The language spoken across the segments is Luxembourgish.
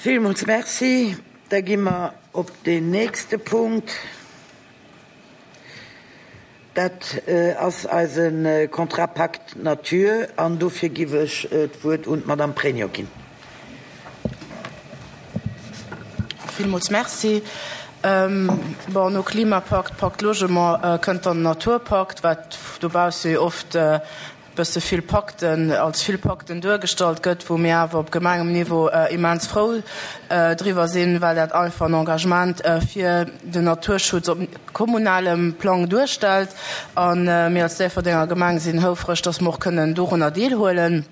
Villmools Merci. Da gi mer op deen nächste Punkt. Dat ass eise Contrat Pacte Nature an dofir giff ech d'Wuert un d'Madame Pregno ginn. Villmools Merci. Bon, no Klimapakt, Pacte Logement kënnt dann den Naturpakt, wat dobausse jo oft bësse vill Pakten, als vill Pakten duergestallt gëtt, wou mir awer op Gemengemniveau immens frou driwwer sinn, well dat einfach en Engagement fir den Naturschutz op kommunalem Plang duerstellt. A mir als Déifferdenger Gemeng sinn houfreg, dass mer och kënnen dorunner deelhuelen.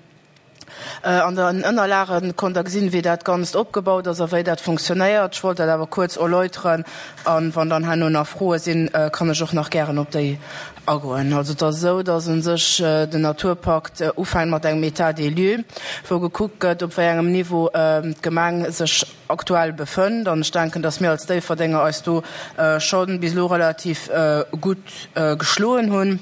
An den Ënnerlage konnt Der gesinn, wéi dat Ganzt opgebaut ass a wéi dat funktionéiert. Ech wollt dat awer kuerz erläuteren a wann dann herno nach Froe sinn, kann ech och nach gären op déi agoen. Also et ass esou, dass u sech den Naturpakt ufänkt mat engem État des lieux, wou gekuckt gëtt, op wéi engem Niveau d'Gemeng sech aktuell befënnt. An ech denken, dass mir als Déifferdenger eis do scho bis elo relativ gutt geschloen hunn.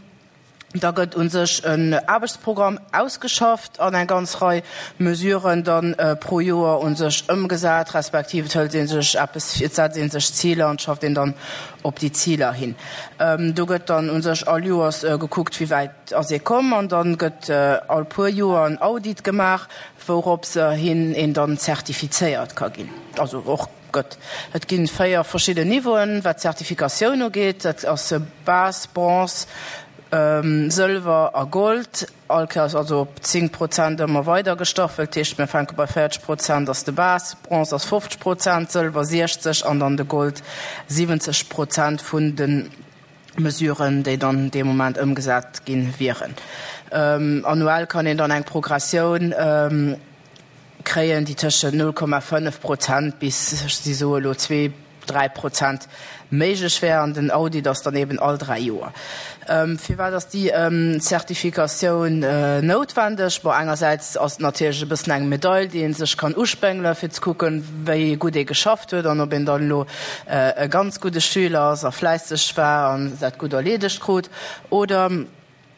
Da gëtt u sech en Aarbechtsprogramm ausgeschafft an eng ganz Rei Mesuren dann pro Joer u sech ëmgesat, respektiv et hëlt ee sech eppes vir, et setzt ee sech Ziler an et schafft een dann op déi Ziler hin. Do gëtt dann u sech all Joers gekuckt, wéi wäit ass ee komm an dann gëtt all puer Joer en Audit gemaach, wourops hin een dann zertifizéiert ka ginn, also och. Gëtt. Et gi 4 verschidden Niveauen, wat d'Zertifikatioun ugeet. Dat ass Base, Bronze, Sëlwer a Gold. All Kéiers also op 10 Prozent ëmmer weider gestaffelt. Dat heescht, mir fänke bei 40 Prozent ass de Base, Bronze ass 50 Prozent, Sëlwer 60 an dann de Gold 70 Prozent vun de Mesuren, déi dann dee Moment ëmgesat ginn wieren. Annuell kann een dann eng Progressioun kréien, déi tëschent 0,5 Prozent bis, si soe elo, zwee, 3 Prozent méiglech wär. An den Audit ass dann eben all 3 Joer. Firwat ass déi Zertifikatioun noutwendeg? Bon, engersäits ass et natierlech e bëssen eng Medail, déi ee sech kann uspéngelen, fir ze kucken, wéi gutt ee geschafft huet an ob een dann elo e ganz gudde Schüler ass a fläisseg war an dat gutt erleedegt krut oder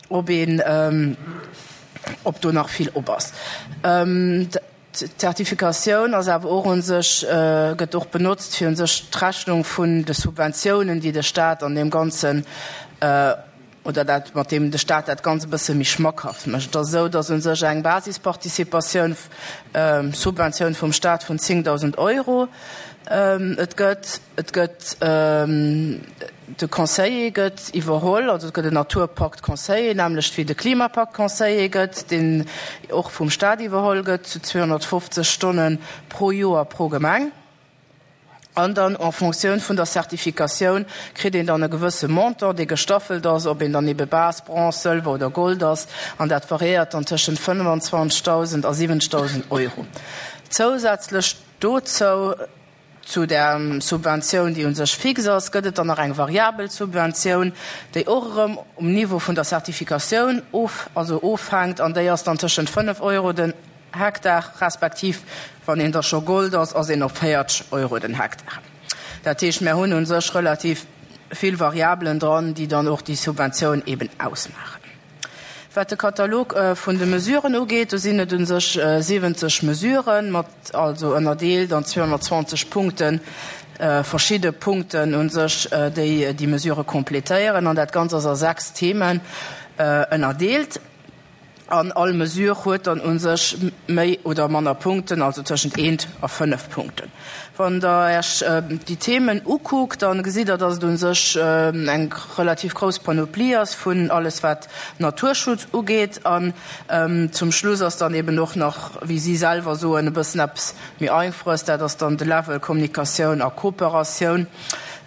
ob een, ob do nach vill op ass. D'Zertifikatioun ass awer och u sech, gëtt och benotzt, fir u sech d'Rechnung vun de Subventiounen, déi de Stat an deem Ganzen, oder dat, mat deem de Stat dat Ganzt e bësse méi schmackhaft mécht. Et ass esou, datt u sech eng Basisparticipatioun, Subventioun vum Stat vun 10.000 Euro et gëtt. Et gëtt. De Conseiller gëtt iwwerholl, also et gëtt en Naturpakt-Conseiller, nämmlecht wéi de Klimapakt-Conseiller gëtt, deen och vum Staat iwwerholl gëtt, zu 250 Stonne pro Joer pro Gemeng. An dann en Fonctioun vun der Zertifikatioun kritt een dann e gewësse Montant, dee gestaffelt ass, ob een dann ebe Base, Bronze, Sëlwer oder Gold ass. An dat variéiert dann tëschent 25.000 a 70.000 Euro. Zousätzlech dozou Zu der Subventioun, déi u sech fix ass, gëtt et dann nach eng variabel Subventioun, déi och erëm um Niveau vun der Zertifikatioun of, also ofhänkt, an déi ass dann tëschent 5 Euro den Hektar, respektiv wann een da scho Gold ass, ass een op 40 Euro den Hektar. Dat heescht, mir hunn u sech relativ vill Variabelen dran, déi dann och déi Subventioun eben ausmaachen. Wat de Katalog vun de Mesuren ugeet, do sinn et u sech 70 Mesuren, mat also ënnerdeelt an 220 Punkten, verschidde Punkten u sech, déi déi Mesurë completéieren. An dat Ganzt ass a sechs Themen ënnerdeelt. An all Mesure huet dann u sech méi oder manner Punkten, also tëschent eent a fënnef Punkten. Wann Der Iech déi Themen ukuckt, da gesitt Der, dass et u sech eng relativ grouss Panoplie ass vun alles, wat Naturschutz ugeet. An zum Schluss ass dann eben och nach, wéi si selwer soen, e bëssen eppes méi Einfaches, dat ass dann de Level Kommunikatioun a Kooperatioun.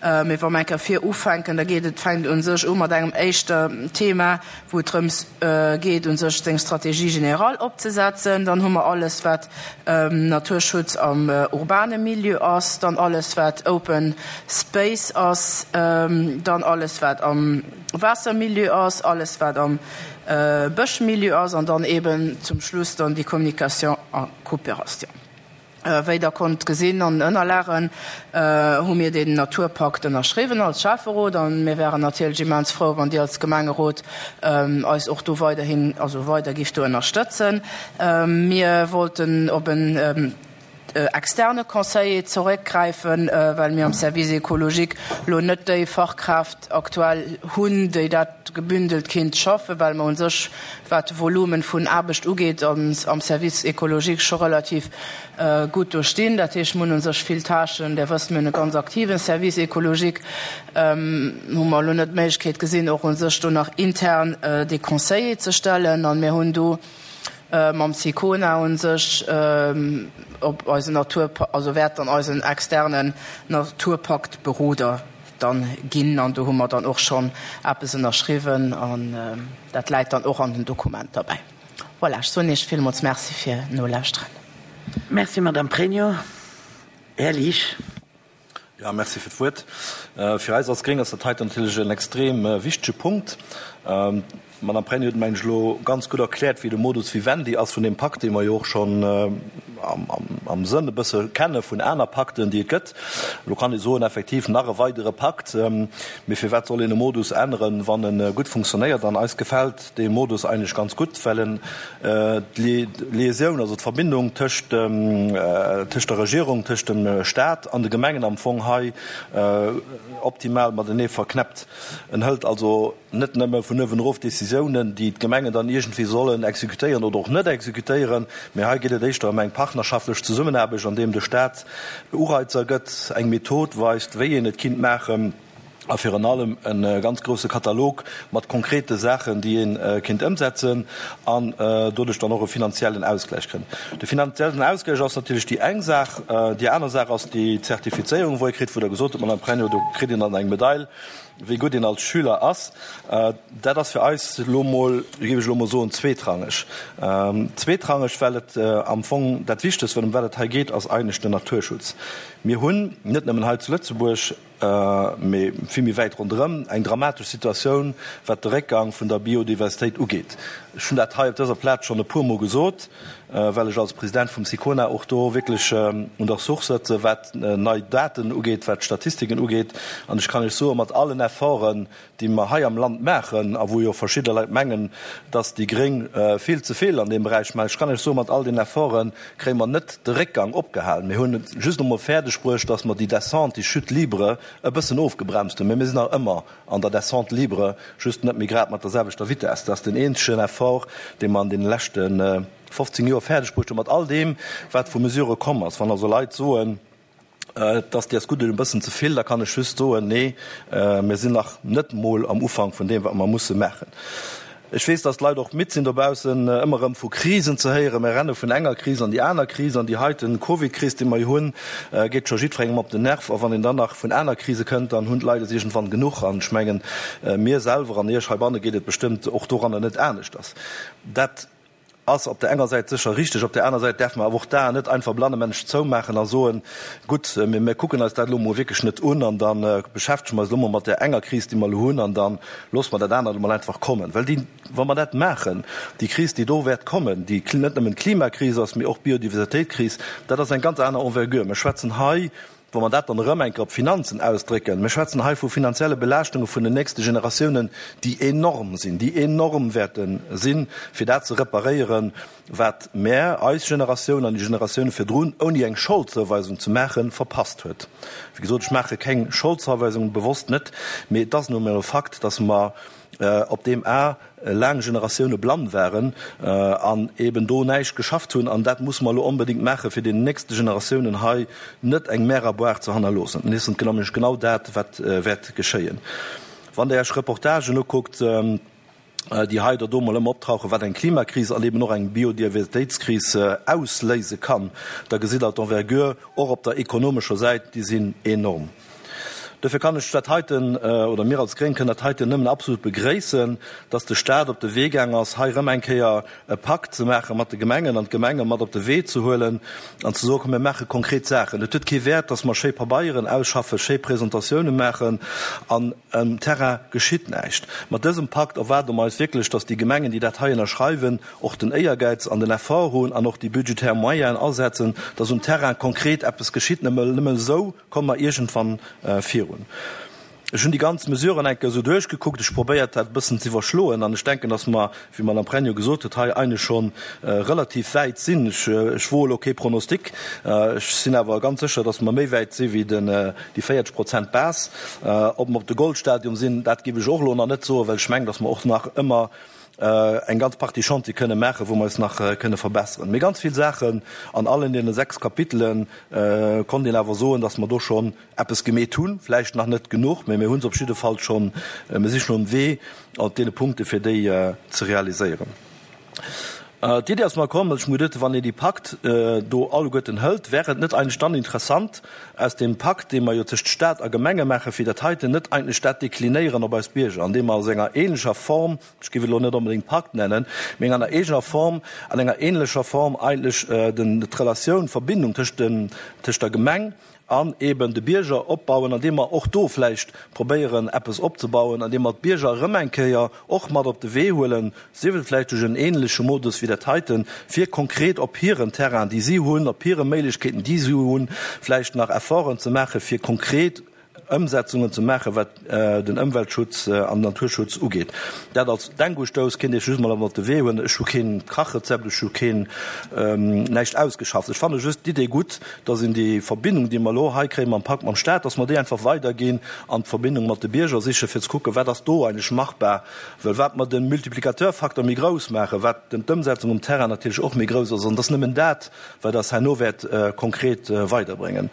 Mee wa mer eng Kéier vir ufänken, da geet et, fänkt et u sech u mat engem éischte Thema, wou et drëms geet u sech seng Stratégie générale opzesetzen. Dann hu mer alles wat Naturschutz am urbane Milieu ass, dann alles wat Open Space ass, dann alles wat am Waassermilieu ass, alles wat am Bëschmilieu ass an dann eben zum Schluss dann déi Communication a Coopération. Wéi Der konnt gesinn an den Ënnerlagen, hu mir deen Naturpakt ënnerschriwwen als Schäfferot a mir wären natierlech immens frou, wann Dir als Gemengerot eis och do weiderhin, also weider gift do ënnerstëtzen. Mir wollten op en. externe Conseiller zeréckgräifen, well mir am Service écologique elo net déi Fachkraaft aktuell hunn, déi dat gebündelt kinnt schaffen, well mer u sech, wat de Volumen vun Aarbecht ugeet, am Service écologique scho relativ gutt do stinn. Dat heescht, mir hunn u sech vill Tâchen. Där wësst, mir hunn e ganz aktiven Service écologique. Hu mer elo net d'Méiglechkeet gesinn, och u sech do nach intern dee Conseiller ze stellen. An mir hunn do mam Sicona u sech op eisen Natur, also wäert dann eisen externen Naturpaktberoder dann ginn. An do hu mer dann och schonn eppes ënnerschriwwen an dat läit dann och an den Dokumenter bäi. Voilà, ech soen Iech villmools Merci fir Nolauschteren. Merci, Madame Pregno. Här Liesch. Jo, merci fir d'Wuert. Fir eis als Gréng ass dat heiten natierlech en extrem wichtege Punkt. D'Madame Pregno huet, mengen ech, elo ganz gutt erkläert, wéi de Modus vivendi ass vun deem Pakt, dee mer jo och schonn am Sënn e bësse kenne vun aner Pakten, déi et gëtt. Elo kann ee soen, effektiv nach e weidere Pakt. Mee firwat soll een e Modus änneren, wann e gutt funktionéiert? An eis gefält dee Modus eigentlech ganz gutt, well en d'Liaisioun, also d'Verbindung tëscht tëscht der Regierung, tëscht dem Stat an de Gemengen am Fong hei optimal matenee verknäppt. En hëlt also net nëmme vun uewen erof Décisiounen, déi d'Gemengen dann iergendwéi sollen exekutéieren oder och net exekutéieren, mä hei geet et éischter ëm eng partnerschaftlech Zesummenaarbecht, an deem de Stat Ureizer gëtt, eng Method weist, wéi een et kinnt maachen. a virun allem e ganz grousse Katalog mat konkrete Saachen, déi ee kéint ëmsetzen an doduerch dann och e finanziellen Ausgläich kënnt. De finanziellen Ausgläich ass natierlech déi eng Saach. Déi aner Saach ass déi Zertifizéierung, wou ee kritt, wou Der gesot hutt, Madame Pregno, do kritt een dann eng Medail, wéi gutt een als Schüler ass. Dat ass fir eis elo mol, géif ech elo mol soen, zweetrangeg. Zweetrangeg, well et am Fong dat Wichtegst, ëm wat et hei geet, ass eigentlech den Naturschutz. Mir hunn net nëmmen hei zu Lëtzebuerg, mee vill méi wäit ronderëm, eng dramatesch Situatioun, wat de Réckgang vun der Biodiversitéit ugeet. Ech hunn dat hei op dëser Plaz schonn e puermol gesot, well ech als President vum SICONA och do wierklech un der Source sëtze wat nei Daten ugeet, wat d'Statistiken ugeet. An ech kann Iech soen, mat allen Efforten, déi mer hei am Land maachen a wou jo verschidde Leit mengen, dass déi Gréng vill ze vill an deem Beräich maachen, ech kann lech soen, mat all den Efforte kréie mer net de Réckgang opgehalen. Mir hunn et just emol fäerdeg bruecht, dass mer déi Descente, déi Chute libre e bëssen ofgebremst hunn, mä mir sinn nach ëmmer an der Descente libre, just net méi grad mat der selwechter Vitesse. Dat ass den eenzegen Effort, dee mer an deene leschte 15 Joer fäerdeg bruecht hunn, mat all deem, wat vu Mesurë komm ass. Wann also Leit soen, Et ass dees gutt e bëssen ze vill, da kann ech just soen, Nee, mir sinn nach net mol am Ufank vun deem, wat mer musse maachen. Ech weess, dass d'Leit och midd sinn dobaussen, ëmmer erëm vu Krisen ze héieren. Mir renne vun enger Kris an déi aner Kris, an déi heiten Covid-Kris, déi mer jo hunn, geet scho jiddwerengem op den Nerv. A wann een dann nach vun aner Krise kënnt, dann hunn d'Leit es iergendwann genuch. An ech mengen, mir selwer an Iech heibanne geet et bestëmmt och doranner net aneschters. Dat Ass op der enger Säit sécher richteg, op der aner Säit däerfe mer awer och d'Aen net einfach blannemännesch zoumaachen a soen, Gutt, mee mir kucken eis dat elo emol wierklech net un an da beschäftege mer eis elo emol mat där enger Kris, déi mer elo hunn, an da loosse mer dat anert emol einfach kommen. Well déi, wa mer dat maachen, déi Kris, déi do wäert kommen, déi net nëmmen d'Klimakris ass, mee och d'Biodiversitéitskris, dat ass eng ganz aner Envergure. Mir schwätzen hei Wa mer dat dann erëm eng Kéier op d'Finanzen ausdrécken, Mir schwätzen hei vu finanzielle Belaaschtunge vun den nächste Generatiounen, déi enorm sinn, déi enorm wäerte sinn, fir dat ze reparéieren, wat mär, eis Generatioun an déi Generatioune virdrun, ouni eng Scholdzouweisung ze maachen, verpasst huet. Wéi gesot, ech maache keng Scholdzouweisung, bewosst net, mee et ass nu emol e Fakt, dass mer op deem A laang Generatioune blann waren an eben do näischt geschafft hunn. An dat musse mer elo onbedéngt maachen, fir deenen nächste Generatiounen hei net eng Mer à boire ze hannerloossen. An et ass nämlech genau dat, wat wäert geschéien. Wann Der Iech Reportagen ukuckt, déi hei oder do mol ëmmer optauchen, wat eng Klimakris an eben och eng Biodiversitéitskris ausléise kann, da gesitt Der d'Envergure och op der ekonomescher Säit, déi sinn enorm. Dofir kann ech dat heiten, oder mir als Gréng kënnen dat heiten nëmmen absolut begréissen, dass de Stat op de Wee gaang ass, hei erëm eng Kéier e Pakt ze maache mat de Gemengen an d'Gemenge mat op de Wee ze huelen an ze soen, komm mir maache konkret Saachen. Et huet kee Wäert, dass mer schéi Pabeieren ausschaffen, schéi Presentatiounen maachen an um Terrain geschitt näischt. Mat dësem Pakt erwaarde mer eis wierklech, dass déi Gemengen, déi dat hei ënnerschreiwen, och den Éiergäiz an den Effort hunn an och déi budgetär Moyenen asetzen, dass um Terrain konkret eppes geschitt. Nëmme esou Komme mer iergendwann virun. Ech hunn déi ganz Mesuren eng Kéier esou duerchgekuckt, ech hu probéiert, dat e bëssen ze iwwerschloen an ech denken, dass mer, wéi d'Madame Pregno gesot huet, hei eigentlech scho relativ wäit sinn. Ech woe elo kee Pronostic, ech sinn awer ganz sécher, dass mer méi wäit si wéi den, déi 40 Prozent Base. Ob mer op de Goldstadium sinn, dat géif ech och elo nach net soen, well ech mengen, dass mer och nach ëmmer eng ganz Partie Chantier kënne maachen, wou mer eis nach kënne verbesseren. Mee ganz vill Saachen an allen deene 6 Kapitele konnt een awer soen, dass mer do schonn eppes gemeet hunn, vläicht nach net genuch, mä mir hu se op jidde Fall schonn, mir si schonn um Wee op deene Punkte fir déi ze realiséieren. D'Idee ass mer komm, ech muss geduet, wann een déi Pakt do alleguerten hëlt, wär et net eigentlech dann interessant, aus deem Pakt, dee mer jo tëscht Stat a Gemenge maachen, fir dat heiten net eigentlech dat deklinéieren op eis Bierger, andeem mer a senger ähnlecher Form, ech géif et elo net onbedéngt Pakt nennen, mee an enger eegener Form, an enger ähnlecher Form eigentlech d'Relatioun, d'Verbindung tëscht den, tëscht der Gemeng an eben de Bierger opbauen, andeem mer och do vläicht probéieren eppes opzebauen, andeem mer d'Bierger erëm eng Kéier och mat op de Wee huelen, sief et vläicht duerch en ähnleche Modus wéi dat heiten, fir konkret op hiren Terrain, déi si hunn, op hire Méiglechkeeten, déi si hunn, vläicht nach Efforten ze maachen, fir konkret Ëmsetzungen ze maachen, wat den Ëmweltschutz an den Naturschutz ugeet. Dat als Denkustouss kéint ech just mol op de Wee huelen. Ech hu keen Kachrezept, ech hu keen näischt ausgeschafft. Ech fanne just d'Idee gutt, dass een déi Verbindung, déi mer elo hei kréie mam Pakt mam Staat, dass mer déi einfach weiderginn an d'Verbindung mat de Bierger sichen, fir ze kucken, wat ass do eigentlech machbar. Well wat mer de Multiplicateurfaktor méi grouss maachen, wat d'Ëmsetzung um Terrain natierlech och méi grouss ass. An et ass nëmmen dat, wat eis herno wäert konkret weiderbréngen.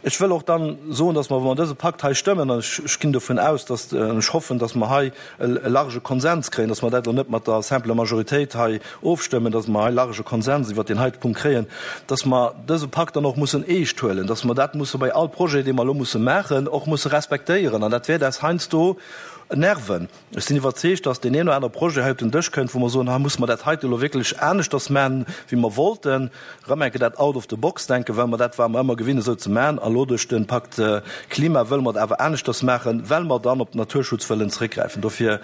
Ech wëll och dann soen, dass mer, wa mer dëse Pakt hei stëmmen, an ech ginn dovun aus, dass, an ech hoffen, dass mer hei e large Konsens kréien, dass mer dat elo net mat der simpler Majoritéit hei ofstëmmen, dass mer hei large Konsens iwwert deen heite Punkt kréien, dass mer dëse Pakt dann och mussen eescht huelen, dass mer dat musse bei all Projet, dee mer elo musse maachen, och musse respektéieren. An dat wäert eis heiansdo nerven. Ech sinn iwwerzeegt, dass deen een oder anere Projet hei op den Dësch kënnt, wou mer soen, hei musse mer dat heite elo wierklech aneschters maachen, wéi mer wollten. Erëm eng Kéier dat out-of-the-box-Denken, well mer dat ware mer ëmmer gewinnt esou ze maachen. A elo duerch de Pakt Klima wëlle mer et awer aneschters maachen, well mer dann op den Naturschutz wëllen zeréckgräifen. Dofir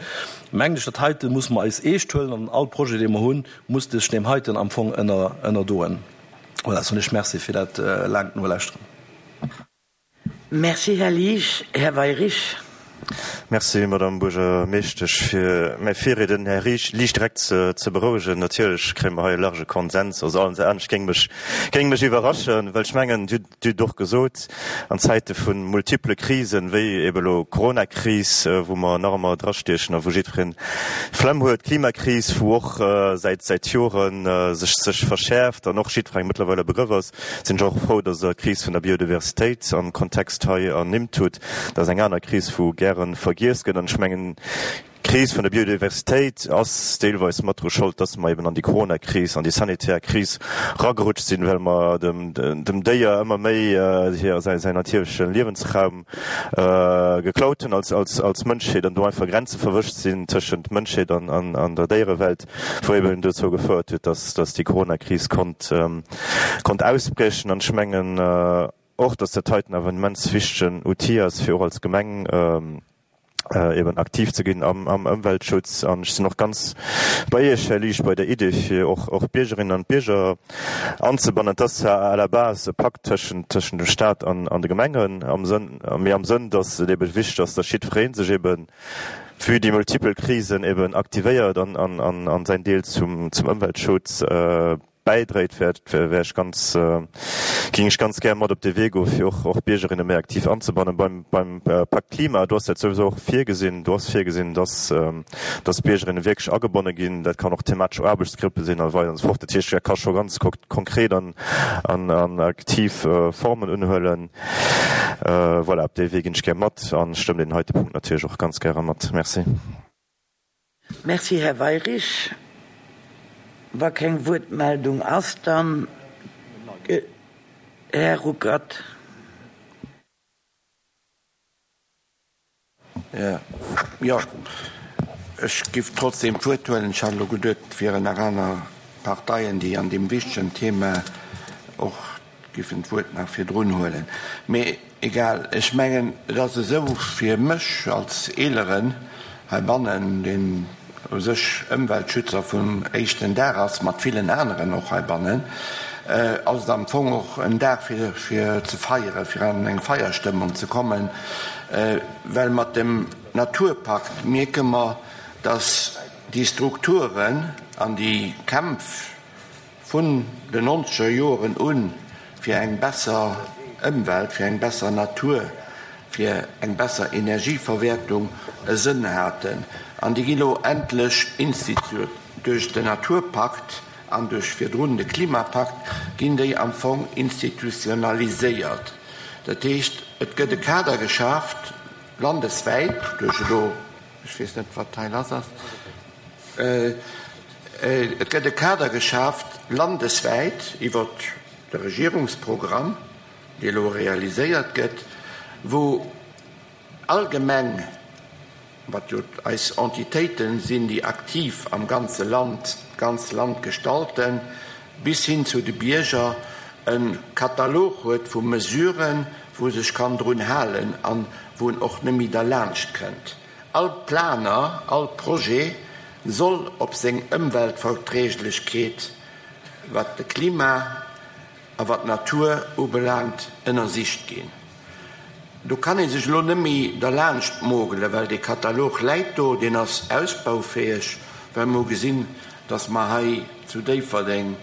mengen ech, dat heite musse mer eis eescht huelen an all Projet, dee mer hunn, muss sech deem heiten am Fong ënnerdoen. Voilà, soen ech Merci fir dat laangt Nolauschteren. Merci, Här Liesch. Här Weyrich. Merci, Madame Buergermeeschtesch. Fir mäi Virriedner, den Här Liesch, direkt ze berouegen, Natierlech kréie mer hei e large Konsens. Also alles anescht géing mech, géing mech iwwerraschen, well ech mengen, Dir hutt och gesot, an Zäite vu multiple Krisen, wéi ebe elo d'Coronakris, wou mer nach ëmmer drastiechen a wou jiddwereen d'Flemm huet, d'Klimakris, wou och säit, säit Jore sech, sech verschäerft an och jiddwerengem mëttlerweil e Begrëff ass, Sinn ech och frou, dass Der d'Kris vun der Biodiversitéit am Kontext hei ernimmt hutt. Dat ass eng aner Kris, wou gäre vergiess gëtt. An ech mengen, d'Kris vun der Biodiversitéit ass deelweis mat dru Schold, dass mer eben an déi Coronakris, an déi sanitär Kris ragerutscht sinn, well mer dem Déier ëmmer méi säin natierleche Liewensraum geklaut hunn als Mënschheet an do einfach Grenze verwëscht sinn tëschent Mënschheet an der Déierewelt. wou eben dozou gefouert huet, dass dass déi Coronakris konnt konnt ausbriechen. An ech mengen och, dass dat heiten awer en immens wichtegen Outil ass, fir och als Gemeng eben aktiv ze ginn am am Ëmweltschutz. An ech sinn och ganz bei Iech, Här Liesch, bei der Idee, fir och och d'Biergerinnen an d'Bierger anzebannen. Et ass zwar à la base e Pakt tëschent tëschent dem Stat an an de Gemengen am Sënn, mee am Sënn, dass et ebe wichteg ass, dass jiddweree sech eben vue déi multipel Krisen eben aktivéiert an säin Deel zum Ëmweltschutz bäidréit, wär ech ganz, géing ech ganz gär mat op dee Wee goen, fir och Biergerinne méi aktiv anzebannen. Beim Pakt Klima, do ass dat souwisou och virgesinn, do ass virgesinn, dass d'Biergerinne wierklech agebonne ginn. Dat kann och thematesch Aarbechtsgruppe sinn a weider an esou fort. Dat heescht, dat ka scho ganz konkret an aktiv Formen unhuelen. Voilà, op dee Wee ginn ech gär mat an stëmmen deen heite Punkt natierlech och ganz gäre mat. Merci. Merci, Här Weyrich. Wa keng Wuertmeldung ass, dann Här Ruckert. Jo, ech giff trotzdem d'Wuert huelen. Ech hat elo geduet, et wieren nach aner Parteien, déi an deem wichtegen Thema och giffen d'Wuert nach virdrun huelen. Mee egal, ech mengen, et ass esou fir mech als Eeleren heibannen, deen u sech Ëmweltschützer vum éischten Dag ass, mat villen aneren och heibannen. ass et am Fong och en Dag fir fir ze feieren, fir an eng Feierstëmmung ze kommen, well mat dem Naturpakt mierke mer, dass déi Strukturen an déi Kämpf vun den nonzeger Joren u fir eng besser Ëmwelt, fir eng besser Natur, fir eng besser Energieverwäertung e Sënn haten. An déi gi lo endlech institu duerch den Naturpakt an duerch virdrun de Klimapakt ginn déi am Fong institutionaliséiert. Dat heescht, et gëtt e Kader geschaaft landeswäit duerch elo, ech weess net, wat hei lass ass, et gëtt e Kader geschaaft landeswäit iwwert de Regierungsprogramm, dee elo realiséiert gëtt, wou all Gemeng, wat jo eis Entitéite sinn, déi aktiv am ganze Land, d'ganz Land gestalten, bis hin zu de Bierger, e Katalog huet vu Mesuren, wou e sech kann drun halen an wou en och net méi derlaanscht kënnt. All Planer, all Projet soll op seng Ëmweltverträglechkeet, wat de Klima a wat d'Natur ubelaangt, ënnersicht ginn. Do kann ee sech elo net méi derlaanscht mogelen, well dee Katalog läit do, deen ass ausbaufäeg, well mer hu gesinn, dass mer hei zu Déifferdeng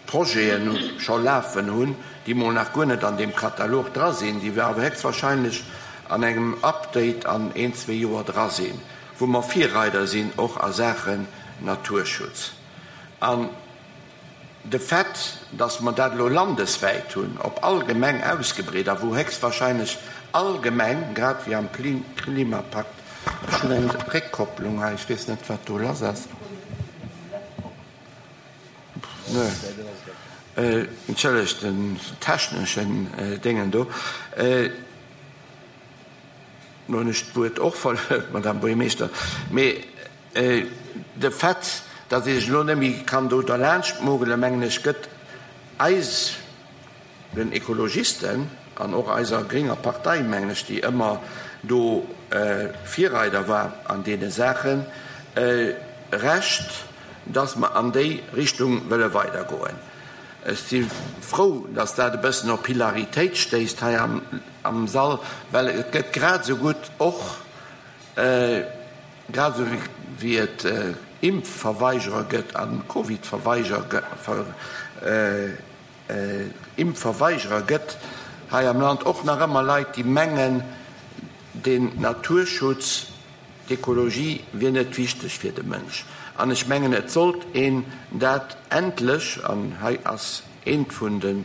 Projeten scho lafen hunn, déi mol nach guer net an deem Katalog dra sinn, déi awer héchstwahrscheinlech an engem Update an een, zwee Joer dra sinn, wou mer Virreider sinn och a Saachen Naturschutz. An de Fait, dass mer dat elo landeswäit hunn, op all Gemeng ausgebreet a wou héchstwahrscheinlech all Gemeng, grad wéi am Klimapakt, ech hunn eng Réckkopplung hei, ech weess net, wat do lass ass. Entschëllegt den techneschen Déngen do. Lo hunn ech d'Wuert och verluer, Madame Buergermeeschter. Mee de Fait, datt ee sech elo net méi kann do derlaanscht mogelen, mengen ech, gëtt eis, den Ekologisten an och eiser grénger Partei, mengen ech, déi ëmmer do Virreider war an deene Saachen, Recht, dass mer an déi Richtung wëlle weidergoen. Ech si frou, dass dat e bëssen op Hilaritéit stéisst hei am Sall, well et gëtt grad esou gutt och, grad esou wéi et Impfverweigerer gëtt a Covidverweigerer, Impfverweigerer gëtt hei am Land och nach ëmmer Leit, déi mengen, den Naturschutz, d'Ekologie wier net wichteg fir de Mënsch. An ech mengen, et sollt een dat endlech, an hei ass eent vun de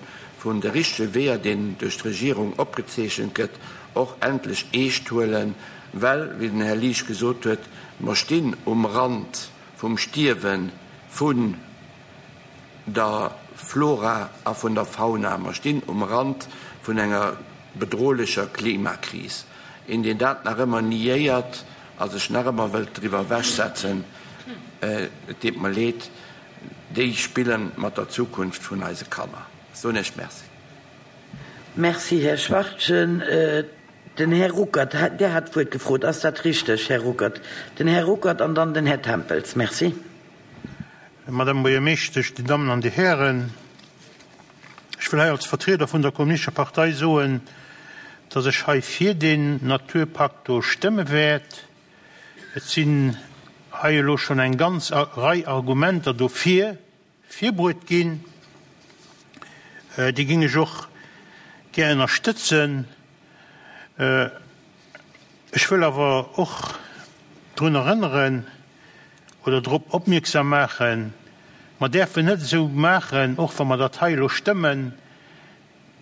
vun de richtege Weeër, deen duerch d'Regierung opgezeechent gëtt, och endlech eescht huelen, well, wéi den Här Liesch gesot huet, mer stinn um Rand vum Stierwe vun der Flora a vun der Fauna. Mer stinn um Rand vun enger bedrohlecher Klimakris. Een, deen dat nach ëmmer niéiert a sech nach ëmmer wëllt driwwer ewechsetzen, et deet mer leed, déi spille mat der Zukunft vun eise Kanner. Ech soen Iech Merci. Merci, Här Schwachtgen. Den Här Ruckert, Der hat d'Wuert gefrot, ass dat richteg, Här Ruckert? Den Här Ruckert an dann den Här Tempels. Merci. Madame Buergermeeschtesch, Dir Dammen an Dir Hären, ech wëll hei als Vertrieder vun der Kommunistescher Partei soen, dass ech hei fir deen Naturpakt do stëmme wäert. Et sinn hei elo schonn eng ganz Rei Argumenter dofir virbruet ginn. Déi géing ech och gär ënnerstëtzen. Ech wëll awer och drun erënneren oder drop opmierksam maachen, mer däerfen net esou maachen, och wa mer dat hei elo stëmmen,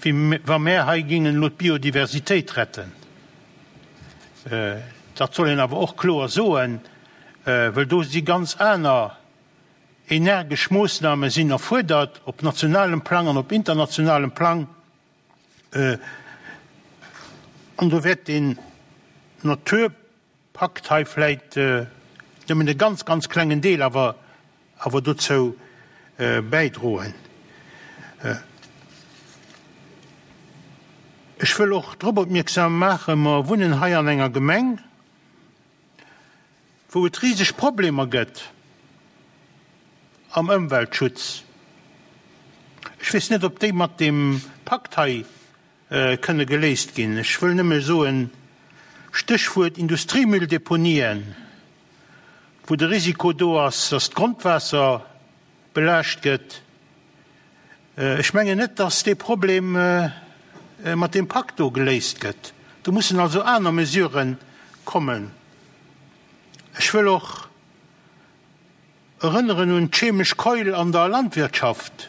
wéi wa mär hei géingen elo d'Biodiversitéit retten. Dat soll een awer och kloer soen, wëll do si ganz aner energesch Moossname sinn erfuerdert op nationalem Plang an op internationalem Plang. An do wäert deen Naturpakt hei vläit nëmmen e ganz, ganz klengen Deel awer awer dozou bäidroen. Ech wëll och drop opmierksam maachen, mer wunnen hei an enger Gemeng, wou et riseg Problemer gëtt am Ëmweltschutz. Ech weess net, ob déi mat deem Pakt hei kënne geléist ginn. Ech wëll nëmme soen, Stéchwuert Industriemülldeponien, wou de Risiko do ass, dass d'Grondwaasser belaascht gëtt. Ech mengen net, dass dee Problem mat deem Pakt do geléist gëtt. Do mussen also aner Mesurë kommen. Ech wëll och erënneren un d'chemesch Keul an der Landwirtschaft.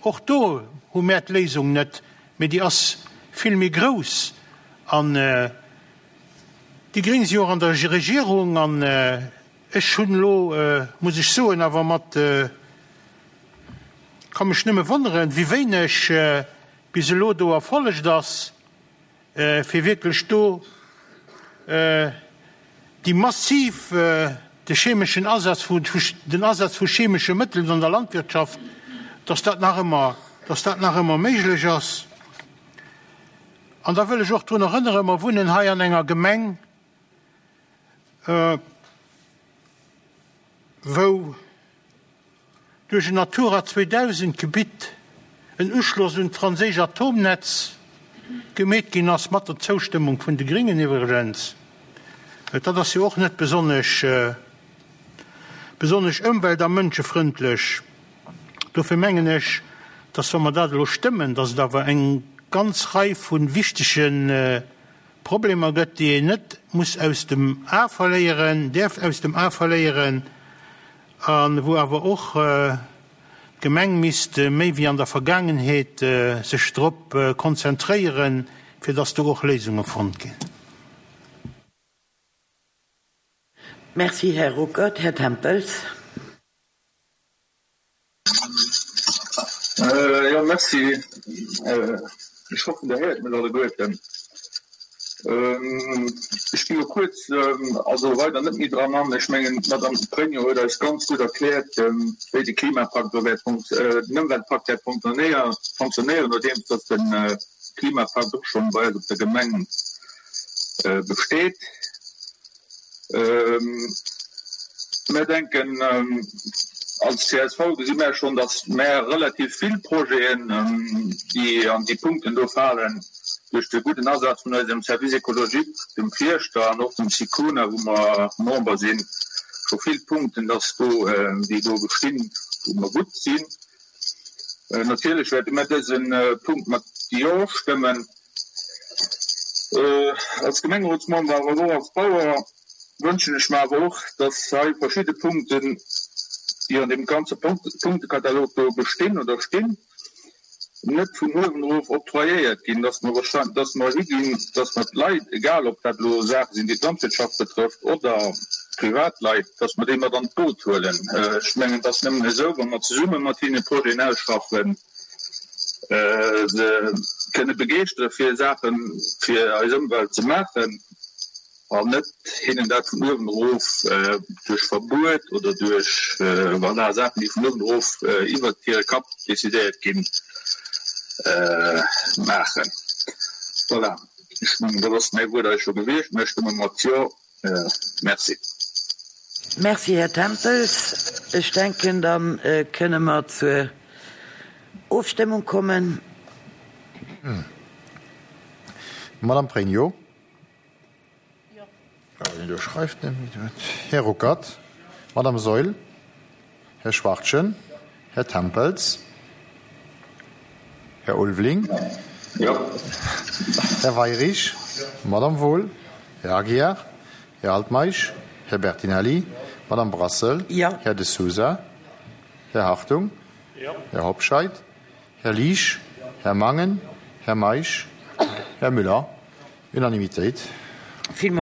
Och do hu mär d'Léisung net, mee déi ass vill méi grouss. An déi Gréng si och an der Regierung. An ech hunn elo, muss ech soen, awer mat, ka mech nëmme wonneren, wéi wéineg bis elo do erfollegt ass. fir wierklech do déi massiv, de chemeschen Asaz vu, den Asaz vu chemesche Mëttelen an der Landwirtschaft, dass dat nach ëmmer, dass dat nach ëmmer méiglech ass. An da wëll ech och drun erënneren, mer wunnen hei an enger Gemeng, wou duerch en Natura 2000 Gebitt en Uschloss un d'franséisch Atomnetz gemeet ginn ass, mat der Zoustëmmung vun de Gringen iwwregens. Dat ass jo och net besonnesch besonnesch ëmwelt a mënschefrëndlech. Dofir mengen ech, dass wa mer dat elo stëmmen, dass et awer eng ganz Rei vu wichtege Problemer gëtt, déi een net muss aus dem A verléieren, däerf aus dem A verléieren a wou awer och d'Gemeng misst méi wéi an der Vergaangenheet sech drop konzentréieren, fir dass do och Léisunge fonnt ginn. Merci, Här Ruckert. Här Tempels. Jo, merci. Ech hoffen, Der héiert mech alleguerten. Ech gi lo kuerz, also weider net méi dran an. Ech mengen, d'Madame Pregno huet eis ganz gutt erkläert, wéi de Klimapakt do wäert, den Ëmweltpakt wäert fonctionnéieren, nodeems datt de Klimapakt och schonn bei eis op der Gemeng besteet. Mär denken, als csv gesi mär schonn, datt mär relativ vill Projeten, déi an déi Punkten do falen, duerch de gudden Asaz vun eisem Service écologique, dem Fierschter an och dem SICONA, wou mer Member sinn, scho vill Punkten, datt do, déi do bestinn, wou mer gutt sinn. Natierlech wäerte mär dëse Punkt mat Jo stëmmen. Als Gemengerotsmember, awer och als Bauer wënschen ech mer awer och, dass hei verschidde Punkten, déi an deem ganze Punktekatalog do bestinn oder stinn, net vun uewen erof octroyéiert ginn, dass mer, dass mer higinn, dass mer d'Leit, egal ob dat elo Saache sinn, déi d'Landwirtschaft betrëfft oder Privatleit, dass mer déi mat an d'Boot huelen. Ech mengen, et ass nëmmen esou, wa mer zesumme mat hinne Projeten ausschaffen, se kënne begeeschtere fir Saache fir eis Ëmwelt ze maachen an net hinnen dat vun uewen erof duerch Verbuet oder duerch, voilà, Saachen, déi vun uewen erof iwwert hire Kapp decidéiert ginn, maachen. Voilà, ech mengen, dat ass mäi Wuert eis scho gewiescht. Mir stëmme mat Jo. Merci. Merci, Här Tempels. Ech denken, da kënne mer zur Ofstëmmung kommen. Madame Pregno. Jo. Här Ruckert. Madame Saeul. Här Schwachtgen. Här Tempels. Här Ulveling. Jo. Här Weirich. Madame Wohl. Här Aguiar. Här Altmeisch. Här Bertinelli. Madame Brassel. Jo. Här De Sousa. Här Hartung. Jo. Här Hobscheit. Här Liesch. Här Mangen. Här Meisch. Här Müller. Unanimitéit. Villmools.